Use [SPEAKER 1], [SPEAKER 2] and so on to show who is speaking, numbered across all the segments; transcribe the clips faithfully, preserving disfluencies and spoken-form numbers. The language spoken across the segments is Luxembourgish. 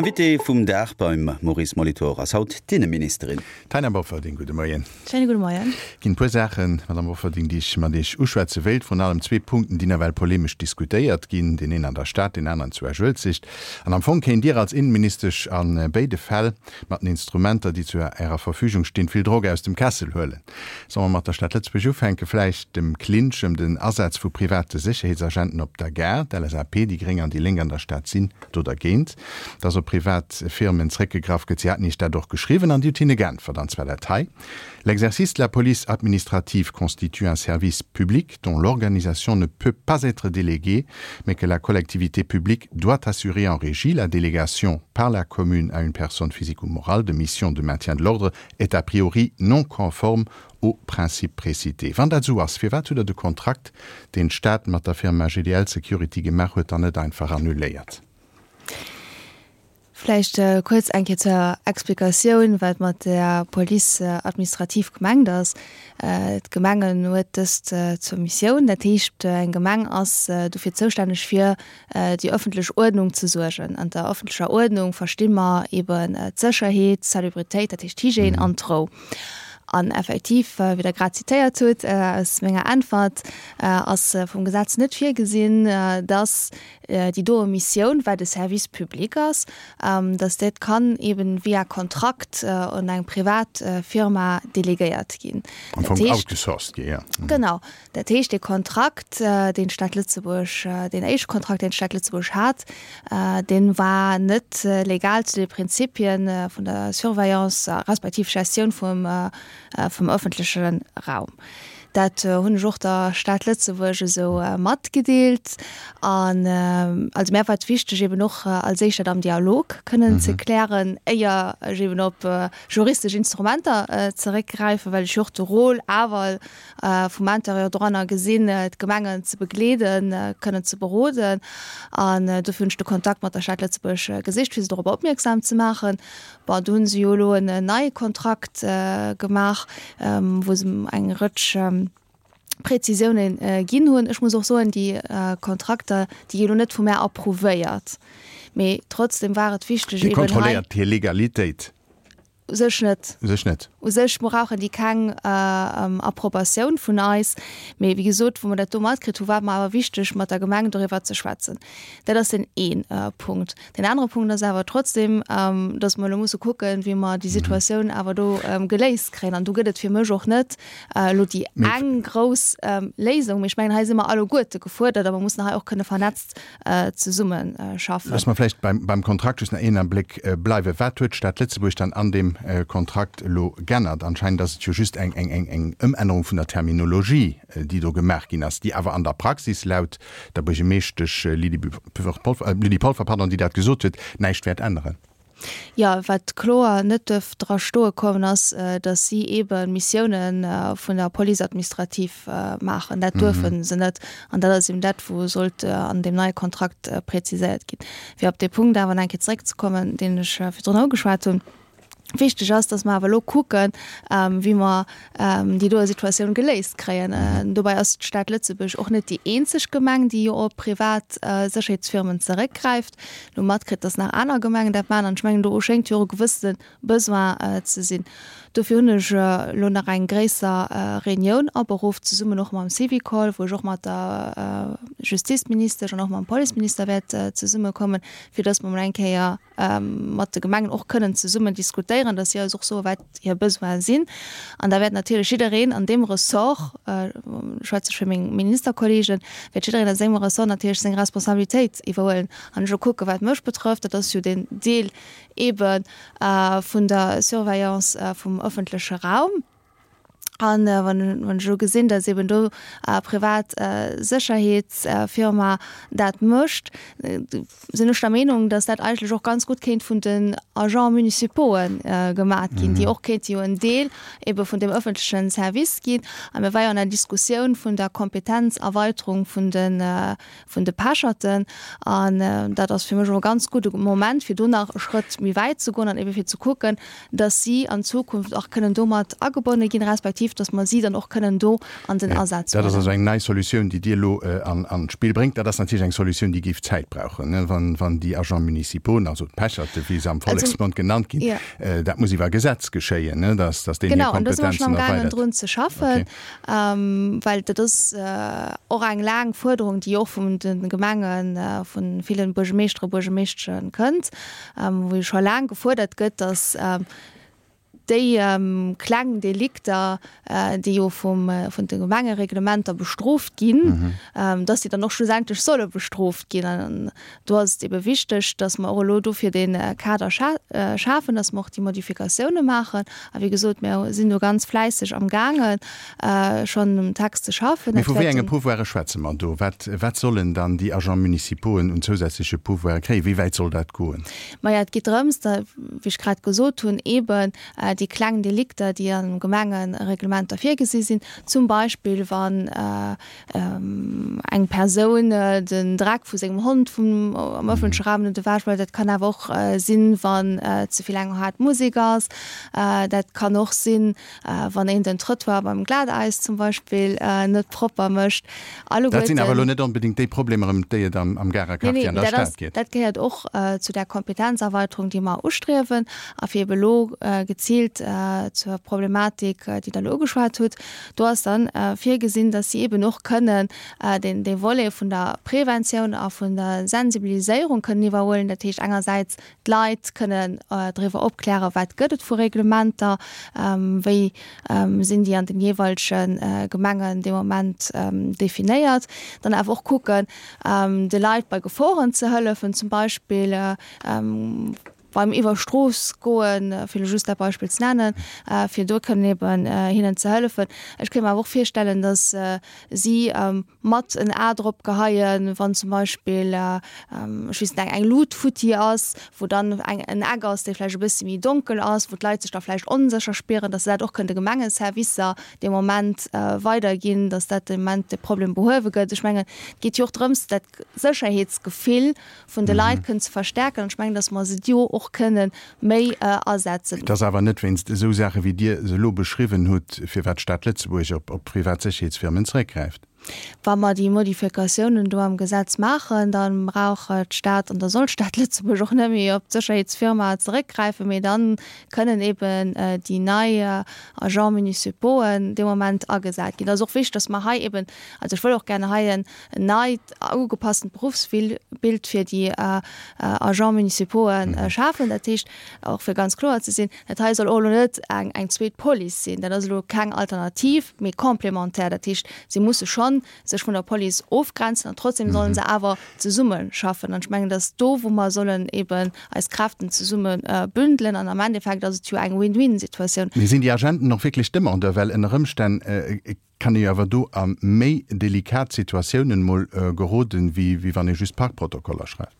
[SPEAKER 1] Invité vum Dag beim Maurice Molitor ass haut d'Inneministerin.
[SPEAKER 2] Taina Bofferding, gudde Moien.
[SPEAKER 3] Schéine gudde Moien.
[SPEAKER 2] Ginn e puer Saachen, Madame Bofferding, déi ech mat Iech uschwätze wéilt. Vrun allem zwee Punkten, déi nawell polemesch diskutéiert ginn, deen een an der Stad, deen aneren zu Esch-Uelzecht. An am Fong kéint Dir als Innenministesch a béide Fäll mat den Instrumenter, déi zu Ärer Verfügung stinn, vill Drock aus dem Kessel huelen. Solle mer mat der Stad Lëtzebuerg ufänken, vläicht dem Clinch ëm den Asaz vu private Sécherheetsagenten op der Gare? D'L S A P, déi Gréng an déi Lénk an der Stad sinn do dergéint, dass op privat Firmen zréckgegraff gëtt. Si haten Iech dat och geschriwwen an Dir hutt hinne geäntwert, an zwar dat hei: L'exercice de la police administrative constitue un service public dont l'organisation ne peut pas être déléguée, mais que la collectivité publique doit assurer en régie. La délégation par la commune à une personne physique ou morale de missions de maintien de l'ordre est a priori non conforme aux principes précités. Wann dat esou ass, firwat hutt Der de Kontrakt, deen d'Stad mat der Firma G D L Security gemaach huet, dann net einfach annuléiert?
[SPEAKER 3] Vläicht äh, kuerz eng Kéier zur Explikatioun, wat mat der Police äh, administrative gemengt ass. Äh, D'Gemengen huet dëst äh, zur Missioun. Dat heescht, äh, eng Gemeng ass äh, dofir zoustänneg fir äh, déi ëffentlech Uerdnung ze suergen. An der ëffentlecher Uerdnung versti mer eben äh, d'Sécherheet, d'Salubritéit, dat heescht d'Hygiène mhm. an d'Rou. An effektiv äh, wéi Der grad zitéiert hutt äh, aus menger Äntwert äh, ass äh, vum Gesetz net virgesinn, äh, dass äh, déi do Missioun, well de Service public ass, ähm, dass dat kann eben via Kontrakt äh, un eng privat äh, Firma delegéiert ginn.
[SPEAKER 2] Am Fong outgesourced ginn, ja.
[SPEAKER 3] Mhm. Genau. Dat heescht de Kontrakt, äh, deen d'Stad Lëtzebuerg, äh, deen éischte Kontrakt, deen d'Stad Lëtzebuerg hat, äh, dee war net äh, legal zu de Prinzipien äh, vun der Surveillance äh, respektiv Gestioun vum, äh, äh, vum ëffentleche Raum. Dat äh, hunn ech och der Stad Lëtzebuerg esou äh, matgedeelt an äh, also mir war et wichteg eben och äh, als éischt dat am Dialog kënnen mhm. ze klären, éier ech eben op äh, juristesch Instrumenter äh, zeréckgräifen, well ech och de Rôle awer äh, vum Intérieur dranner gesinn äh, d'Gemengen ze begleeden, äh, kënnen ze beroden an äh, dofir hunn ech de Kontakt mat der Stad Lëtzebuerg äh, gesicht, fir se dorop opmierksam ze maachen. Bon, do hunn se jo elo en neie Kontrakt äh, gemaach, ähm, wou se eng Rëtsch ähm, Präzisiounen äh, ginn hunn. Ech muss och soen, déi äh, Kontrakter, déi gi jo net vu mir approuvéiert. Mee trotzdem war et wichteg
[SPEAKER 2] Dir kontrolléiert hir Legalitéit?
[SPEAKER 3] U sech net.
[SPEAKER 2] U sech net.
[SPEAKER 3] U sech brauchen déi keng äh, ähm, Approbatioun vun eis. Mee wéi gesot, wou mer dat do matkritt hu war et mer awer wichteg mat der Gemeng doriwwer ze schwätzen. Dat ass den een äh, Punkt. Den anere Punkt ass awer trotzdem, ähm, dass mer elo musse kucken, wéi mer déi Situatioun awer do ähm, geléist kréien. An do gëtt et fir mech och net äh, elo déi eng grouss ähm, Léisung. Mee ech mengen, hei si mer alleguerte gefuerdert, a mer mussen hei och kënne vernetzt äh, zesumme äh, schaffen.
[SPEAKER 2] Looss mer vläicht beim, beim Kontrakt just nach een Abléck äh, bleiwen. Wat huet d'Stad Lëtzebuerg dann an deem äh, Kontrakt elo geännert? Anscheinend ass et jo just eng, eng, eng, eng Ëmännerung vun der Terminologie, äh, déi do gemaach ginn ass, déi awer an der Praxis laut der Buergermeeschtesch äh, Lydie Polfer, äh, Lydie Polfer pardon, déi dat gesot huet, näischt wäert änneren.
[SPEAKER 3] Ja, wat kloer net dierf dra stoe kommen ass, äh, dass si eben Missiounen äh, vun der Police administrative äh, maachen. Dat duerfe mhm. se net an dat ass eben dat, wou sollt äh, an deem neie Kontrakt äh, präziséiert ginn. Fir op de Punkt awer nach eng Kéier zeréckzekommen, deen ech äh, virdrun ugeschwat hunn. Wichteg ass, dass mer awer elo kucken, ähm, wéi mer ähm, déi do Situatioun geléist kréien. Äh, dobäi ass d'Stad Lëtzebuerg och net déi eenzeg Gemeng, déi jo op privat äh, Sécherheetsfirmen zeréckgräift. Hu matkritt, dass nach aner Gemengen dat maachen an ech mengen, do schéngt jo e gewësse Besoin äh, ze sinn. Dofir hunn ech äh, elo nach eng gréisser äh, Reunioun aberuff zesummen och mam Syvicol, wou ech och mat der äh, Justizministesch an och mam Policeminister wäert äh, zesummekommen, fir dass mer mol eng Kéier ähm, mat de Gemengen och kënnen zesummen diskutéieren, dass si eis och soen, wat hir Besoine sinn. An da wäert natierlech jiddereen an deem Ressort äh, schwätze ech fir meng Ministerkollegen, wäert jiddereen a sengem Ressort natierlech seng Responsabilitéit iwwerhuelen. An ech kucken, wat mech betrëfft, dat ass jo den Deel eben äh, vun der Surveillance äh, vum ëffentleche Raum. An äh, wann, wann ech jo gesinn, dass eben do äh, privat äh, Sécherheetsfirma äh, dat mécht, äh, sinn ech der Meenung, dass dat eigentlech och ganz gutt kéint vun den Agents municipauxen äh, gemaach ginn, mhm. déi och kéinte jo en Deel eben vun dem ëffentlechen Service ginn. A mir ware jo an der Diskussioun vun der Kompetenzerweiterung vun den äh, vun de Pecherten an äh, dat ass fir mech e ganz gudde Moment fir do nach e Schrëtt méi wäit ze goen an eben fir ze kucken, dass si an Zukunft och kënnen domat agebonne ginn, respektiv administrative, dass mer si dann och kënnen do an den Asaz
[SPEAKER 2] Dat ass
[SPEAKER 3] huelen.
[SPEAKER 2] also eng nei Solutioun, déi Dir elo an an d'Spill bréngt. Dat ass natierlech eng Solutioun, déi géif Zäit brauchen, ne, wann wann déi Agents municipaux, also d'Pecherte wéi se am Volleksmond genannt ginn, dat muss iwwer Gesetz geschéien, ne, dass dass deenen hir
[SPEAKER 3] Genau, an do si mer schonn
[SPEAKER 2] Kompetenzen
[SPEAKER 3] amgaangen
[SPEAKER 2] erweidert.
[SPEAKER 3] drun ze schaffen, well dat ass och eng laang Fuerderung, déi och vun de Gemengen, vu ville Buergermeeschtere, Buergermeeschteschen kënnt, wou jo scho laang gefuerdert gëtt, dass déi kleng Delikter, déi jo vum vun de Gemengereglementer bestrooft ginn, dass déi dann och schlussendlech solle bestrooft ginn. An do ass et ebe wichteg, dass mer och elo dofir dee Kader schafen, dass mer och déi Modifikatioune maachen. A wéi gesot, mir sinn do ganz fläisseg amgaangen, schonn um Text ze schaffen.
[SPEAKER 2] Mee vu wéi enge Pouvoire schwätze mer do? Wat, wat sollen dann déi Agents municipauxen un zousätzleche Pouvoire kréien? Wéi wäit soll dat goen?
[SPEAKER 3] Maja, et geet drëms, da, wéi ech grad gesot hunn, eeben déi kleng Delikter, déi an Gemengereglementer virgesi sinn, zum Beispill wann eng Persoun den Dreck vu sengem Hond vum am ëffentleche Raum net ewech mécht, dat kann awer och sinn, wann ze vill eng haart Musek ass, dat kann och sinn, wann een den Trottoir beim Glatäis zum Beispill net propper mécht.
[SPEAKER 2] Dat sinn awer elo net onbedéngt déi Problemer, ëm déi et am Garer Quartier an der Stad geet.
[SPEAKER 3] Dat gehéiert och zu där Kompetenzerweiterung, déi mer ustriewen. A fir ebe elo geziilt zur Problematik, déi Der elo ugeschwat hutt, do ass dann virgesinn, dass si eben och kënnen deen dee Volet vun der Preventioun a vun der Sensibiliséierung kënnen iwwerhuelen. Dat heescht engersäits d'Leit kënnen driwwer opklären, wat gëtt et vu Reglementer, wéi sinn déi an den jeeweilege Gemengen dee Moment definéiert. Dann awer och kucken, de Leit bei Geforen ze hëllefen, zum Beispill beim iwwer Strooss goen, fir elo just dat Beispill ze nennen, fir do kënnen eben hinnen ze hëllefen. Ech kéint mer awer och virstellen, datt si mat en A drop geheien, wann zum Beispill, ech weess net, eng Lut futti ass, wou dann eng en Eck ass, dee vläicht e bësse méi donkel ass, wou d'Leit sech da vläicht onsécher spieren, datt se dat och kënnen de Gemengeservicer dee Moment weiderginn, datt dat dee Moment de Problem behuewe gëtt. Ech mengen, et geet jo och drëms, dat Sécherheetsgefill vun de Leit kënnen ze verstärken. An ech mengen, datt mer se do och kënnen méi asetzen.
[SPEAKER 2] Et ass awer net wéinst esou Saache wéi Dir se elo beschriwwen hutt, firwat d'Stad Lëtzebuerg op op privat Sécherheetsfirmen zeréckgräift.
[SPEAKER 3] Wa mer déi Modifikatiounen do am Gesetz maachen, da brauch d'Stad an da soll d'Stad Lëtzebuerg och net méi op d'Sécherheetsfirma zeréckgräifen, mee da kënnen eben déi nei Agents municipauxen dee Moment agesat ginn. Et ass och wichteg, dass mer hei eben, also ech wëll och gerne hei en neit ugepasstent Berufsbild fir déi Agents municipauxen schafen. Dat heescht, och fir ganz kloer ze sinn, dat hei soll och elo net eng eng zweet Police sinn. Dat ass elo keng Alternativ, mee complémentaire. Dat heescht, si musse schonn sech vun der Police ofgrenzen an trotzdem sollen se awer zesumme schaffen. An ech mengen, dat ass do, wou mer sollen eben eis Kräften zesumme bündelen. An am Endeffekt ass et jo eng Win-win-Situatioun.
[SPEAKER 2] Mee sinn déi Agenten och wierklech Demandeur? Well ënner Ëmstänn kann ee jo awer do a méi delikat Situatiounen mol geroden, wéi wann ee just Parkprotokoller schreift.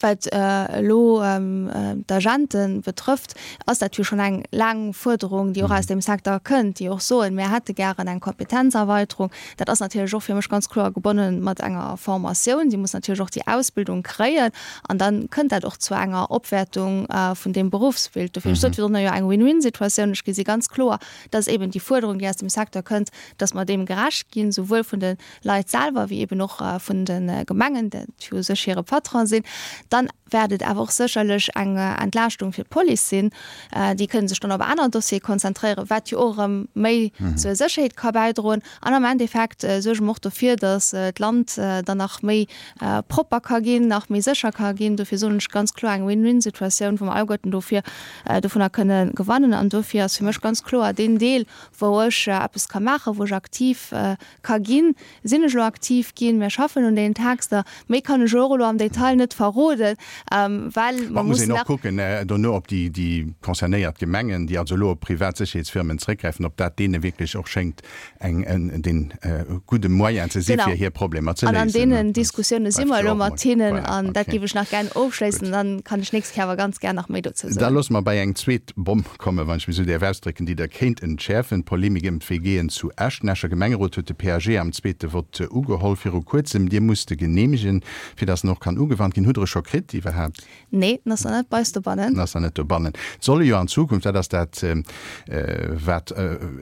[SPEAKER 3] Wat elo d'Agente betrëfft, ass dat jo schonn eng laang Fuerderung, déi och aus deem Secteur kënnt, déi och soen, mir hätte gären eng Kompetenzerweiterung. Dat ass natierlech och fir mech ganz kloer gebonne mat enger Formatioun. Si mussen natierlech och déi Ausbildung kréien an da kënnt dat och zu enger Opwäertung vun deem Beruffsbild. Dofir, ech sot virdrun, jo eng Win-win-Situatioun. Ech gesi ganz kloer, dass eben déi Fuerderung, déi aus dem Secteur kënnt, dass mer deem gerecht ginn, souwuel vun de Leit selwer wéi eben och vun de Gemengen, dat jo u sech hire Patron sinn. Dann wäert et awer och sécherlech eng Entlaaschtung fir d'Police sinn. Déi kënnen sech dann op aner Dossiere konzentréieren, wat jo och erëm méi zur Sécherheet ka bäidroen. An am Endeffekt suerge mer och dofir, datt d'Land dann nach méi propper ka ginn, nach méi sécher ka ginn. Dofir soen ech ganz kloer, eng Win-win-Situatioun, wou mer alleguerten dofir dovunner kënne gewannen. An dofir ass fir mech ganz kloer deen Deel, wou ech eppes ka maachen, wou ech aktiv ka ginn, sinn ech elo aktiv ginn. Mir schaffen un deenen Texter. Méi kann ech och elo am Detail net verroden, well mer
[SPEAKER 2] Muss een
[SPEAKER 3] mussen
[SPEAKER 2] och
[SPEAKER 3] nach.
[SPEAKER 2] kucken dono, ob déi, déi concernéiert Gemengen, déi also elo op privat Sécherheetsfirmen zréckgräifen, ob dat deene wierklech och schéngt eng, en, dee gudde Moyen ze si
[SPEAKER 3] Genau.
[SPEAKER 2] fir hir Problemer ze
[SPEAKER 3] An an
[SPEAKER 2] léisen.
[SPEAKER 3] deenen
[SPEAKER 2] Dat
[SPEAKER 3] Diskussioune si
[SPEAKER 2] bleift
[SPEAKER 3] mer
[SPEAKER 2] jo
[SPEAKER 3] elo
[SPEAKER 2] och
[SPEAKER 3] mat
[SPEAKER 2] mol.
[SPEAKER 3] hinnen
[SPEAKER 2] Voilà,
[SPEAKER 3] an dat
[SPEAKER 2] okay.
[SPEAKER 3] géif ech nach gär ofschléissen.
[SPEAKER 2] Gutt.
[SPEAKER 3] Dann kann ech nächst Kéier awer ganz gär nach méi dozou
[SPEAKER 2] Da
[SPEAKER 3] soen.
[SPEAKER 2] loosse mer bei eng zweet Bomm kommen, wann ech mech esou däerf ausdrécken, déi Der kéint entschäerfen, d'Polemik ëm d'WGen zu Esch. Den Escher Gemengerot huet de P A G am zweete Vott ugeholl viru kuerzem. Dir musst e geneemegen, fir dass en och kann ugewannt ginn. Hutt Der e scho kritt iwwerhaapt? iwwerhaapt?
[SPEAKER 3] Nee, en ass nach net bei eis dobannen.
[SPEAKER 2] En ass nach net dobannen. Et solle jo an Zukunft, dat ass dat, wat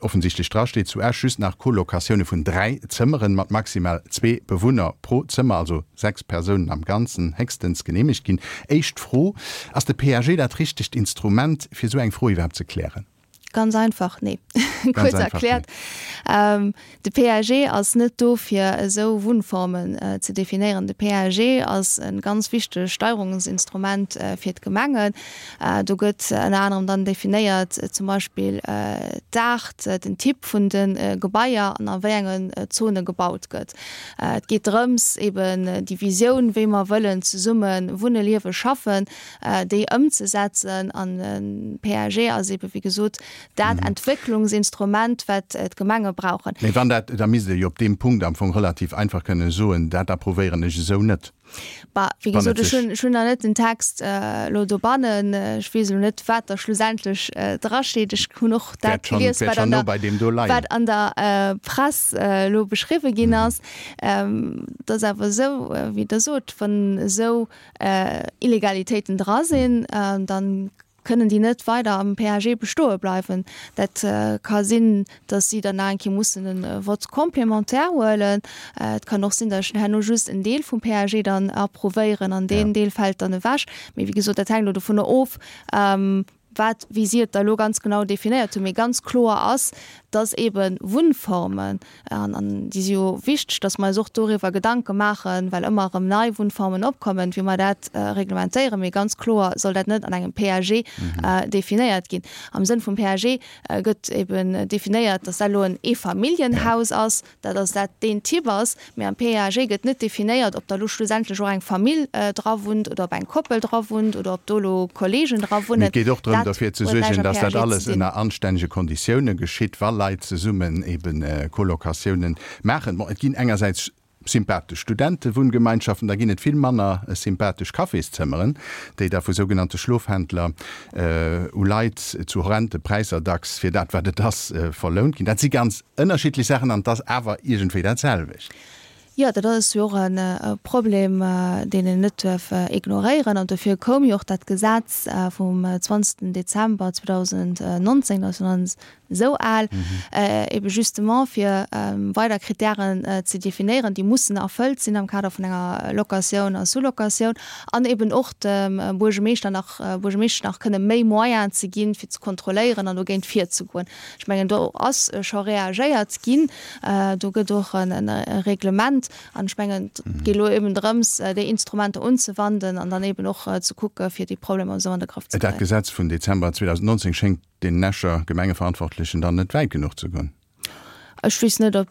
[SPEAKER 2] offensichtlech drasteet, zu Esch just nach Colocatioune vun dräi Zëmmeren mat maximal zwee Bewunner pro Zëmmer, also sechs Persounen am Ganzen, héchstens geneemegt ginn. Éischt Fro, Ass de P A G dat richtegt Instrument, fir esou eng Fro iwwerhaapt ze klären?
[SPEAKER 3] Ganz einfach, nee. Kuerz erkläert, de P A G ass net do fir esou Wunnformen ze definéieren. De P A G ass e ganz wichtegt Steierungsinstrument fir d'Gemengen. Do gëtt ënner anerem dann definéiert zum Beispill d'Aart, den Typ vun de Gebaier an a wéi engen Zone gebaut gëtt. Et geet drëms eben déi Visioun, wéi mer wëllen zesumme wunne, liewe, schaffen, déi ëmzesetzen. An de P A G ass ebe wéi gesot dat Entwécklungsinstrument, wat d'Gemenge brauchen.
[SPEAKER 2] Mee wann dat, da misst Der jo op deem Punkt am Fong relativ einfach kënne soen, dat approuvéieren ech esou net.
[SPEAKER 3] Bah, wéi gesot, ech hunn, ech hunn nach net den Text elo dobannen. Ech weess elo net, wat da schlussendlech drasteet. Ech hunn och dat gelies, wat an der, wat an der Press elo beschriwwe ginn ass. Et ass awer esou, wéi Der sot, wann esou Illegalitéiten dra sinn, dann kënnen déi net weider am P A G bestoe bleiwen. Dat ka sinn, datt si dann nach eng Kéier mussen e Vote complémentaire huelen. Et kann och sinn, datt ech herno just en Deel vum P A G dann approuvéieren an deen Deel fält dann ewech. Mee wéi gesot, dat hänkt elo dovunner of, wat, wéi si et da elo ganz genau definéiert hunn. Mee ganz kloer ass, dass eebe Wunnformen, an déi si jo wichteg, dass mer eis och doriwwer Gedanke maachen, well ëmmer erëm nei Wunnformen opkommen, wéi mer dat reglementéieren. Mee ganz kloer soll dat net an engem P A G definéiert ginn. Am Sënn vum P A G gëtt eeben definéiert, dass dat elo en Eefamilljenhaus ass, dat ass dat deen Typ ass. Mee am P A G gëtt net definéiert, ob da elo schlussendlech och eng Famill dra wunnt oder ob eng Koppel dra wunnt oder ob do elo Kolleegen dra
[SPEAKER 2] wunnen. Mee et geet och drëm, derfir ze suergen, dass dat alles ënner anstännege Konditioune geschitt, wa Leit zesummen eben Colocatiounen maachen. Bon, et ginn engersäits sympathesch Studentewunngemeinschaften, da ginn et vill manner sympathesch Cafészëmmeren, déi da vu sougenannte Schlofhändler u Leit zu horrende Präisser dacks fir dat, wat et ass, verlount ginn. Dat si ganz ënnerschiddlech Saachen an et ass awer iergendwéi dat selwecht.
[SPEAKER 3] Jo, dat ass jo och e Problem, deen een net duerf ignoréieren. An dofir koum jo och dat Gesetz vum zwanzegsten Dezember zweedausendnonzéng, dat ass jo nach net esou al, ebe justement fir weider Kritären ze definéieren, déi mussen erfëllt sinn am Kader vun enger Locatioun a Sous-locatioun, an eben och dem Buergermeeschter nach, Buergermeeschtesch nach kënne méi Moyenen ze ginn, fir ze kontrolléieren an dogéint virzegoen. Ech mengen, do ass scho reagéiert ginn. Do gëtt och e Reglement. An ech mengen, et geet elo eben drëms, déi Instrumenter unzewanden an dann eben och ze kucke fir déi Problemer esou an de Grëff ze
[SPEAKER 2] Dat
[SPEAKER 3] kréien.
[SPEAKER 2] Gesetz vun Dezember zweedausendnonzéng schéngt den Escher Gemengeverantwortlechen dann net wäit genuch ze goen.
[SPEAKER 3] Ech weess net, ob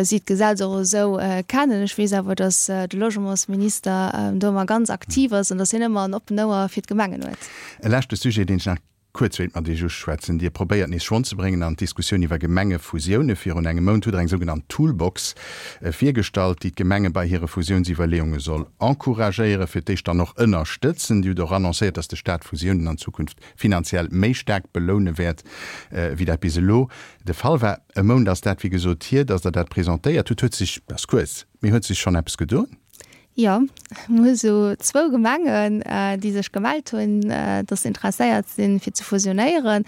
[SPEAKER 3] si d'Gesetz och esou kennen. Ech weess awer, datt de Logementsminister do ëmmer ganz aktiv ass an datt hien ëmmer en oppen Ouer fir d'Gemengen huet.
[SPEAKER 2] E leschte Sujet, deen ech nach kuerz wéilt mat Iech uschwätzen. Dir probéiert nees Schwong ze bréngen an d'Diskussioun iwwer Gemengefusioune. Virun engem Mount hutt Der eng sougenannt Toolbox virgestallt, déi d'Gemenge bei hire Fusiounsiwwerleeunge soll encouragéieren, fir d'éischt dann och ënnerstëtzen. Dir hutt och annoncéiert, datt de Staat Fusiounen an Zukunft finanziell méi staark beloune wäert, wéi dat bis elo de Fall war. E Mount ass dat, wéi gesot, hier, datt Der dat presentéiert hutt. Huet sech, dat ass kuerz, mee huet sech schonn eppes gedoen?
[SPEAKER 3] Jo, mir hu sou zwou Gemengen, déi sech gemellt hunn, dass se interesséiert sinn, fir ze fusionéieren,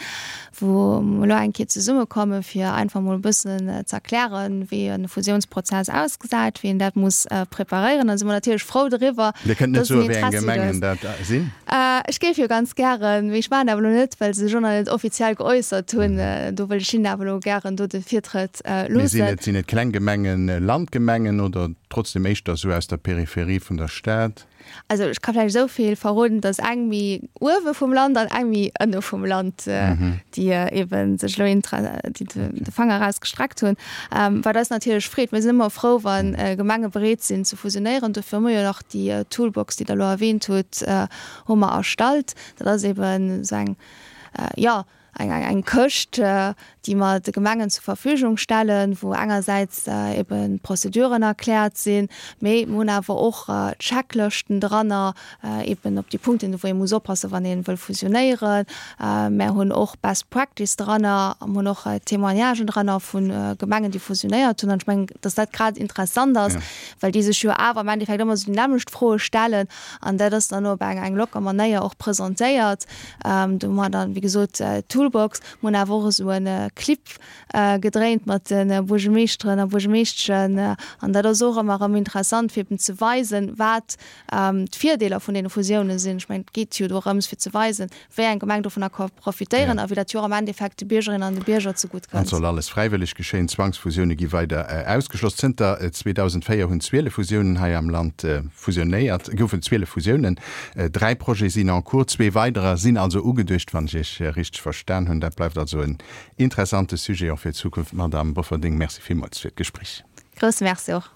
[SPEAKER 3] wou mer elo eng Kéier zesummekommen, fir einfach mol e bëssen ze erklären, wéi e Fusiounsprozess ausgesäit, wéi een dat muss preparéieren. Da si mer natierlech frou doriwwer,
[SPEAKER 2] Dir kënnt net
[SPEAKER 3] dass en
[SPEAKER 2] soen, wéi eng
[SPEAKER 3] Interessi do ass.
[SPEAKER 2] Gemengen dat sinn?
[SPEAKER 3] Ech géif jo ganz gären, mee ech maachen awer elo net, well se sech och nach net offiziell geäussert hunn. Do wëll ech hinnen awer elo gären do de Virtrëtt
[SPEAKER 2] Mee sinn
[SPEAKER 3] loossen.
[SPEAKER 2] et, sinn et kleng Gemengen, Landgemengen oder trotzdem éischter sou aus der Peripherie vun der Stad?
[SPEAKER 3] Also ech ka vläicht esou vill verroden, dass eng méi uewe vum Land an eng méi ënne vum Land, déi eebe sech elo déi de Fanger erausgestreckt hunn, wat eis natierlech freet. Mir sinn ëmmer frou, wa Gemenge bereet sinn ze fusionéieren. Dofir hu mer jo nach déi Toolbox, déi Der elo erwähnt hutt, hu mer erstallt. Dat ass eeben esou eng, jo, eng eng Këscht, déi mer de Gemengen zur Verfügung stellen, wou engersäits eben d'Prozeduren erkläert sinn, mee mer hunn awer och Checklëschten dranner, eben op déi Punkten, wou ee muss oppassen, wann ee wëll fusionéieren. Mer hunn och Best Practice dranner a mer hunn och Témoignagen dranner vu Gemengen, déi fusionéiert hunn. An ech mengen, dass dat grad interessant ass, well déi sech jo awer am Endeffekt ëmmer esou déi nämmlecht Froe stellen an dat ass dann op eng eng locker Manéier och presentéiert. Do hu mer dann, wéi gesot, d'Toolbox. Mer hunn awer och esou e Clip gedréint mat de Buergermeeschteren a Buergermeeschteschen an dat ass och ëmmer erëm interessant, fir eben ze weisen, wat d'Virdeeler vun deene Fusiounen sinn. Ech mengen, et geet jo dorëms, fir ze weisen, wéi eng Gemeng dovunner ka profitéieren a wéi dat jo och am Endeffekt de Biergerinnen an de Bierger zegutt
[SPEAKER 2] An
[SPEAKER 3] kënnt.
[SPEAKER 2] soll alles fräiwëlleg geschéien. Zwangsfusioune gi weider ausgeschloss. Zënter zweedausendvéier hunn zwielef Fusiounen hei am Land fusionéiert, goufen zwielef Fusiounen. Dräi Projete sinn en cours, zwee weiderer sinn also ugeduecht, wann ech Iech richteg verstan hunn. Dat bleift also en interessante Sujet och fir d'Zukunft. Madamm Bofferding, Merci villmools fir d'Gespréich.
[SPEAKER 3] Grousse Merci och.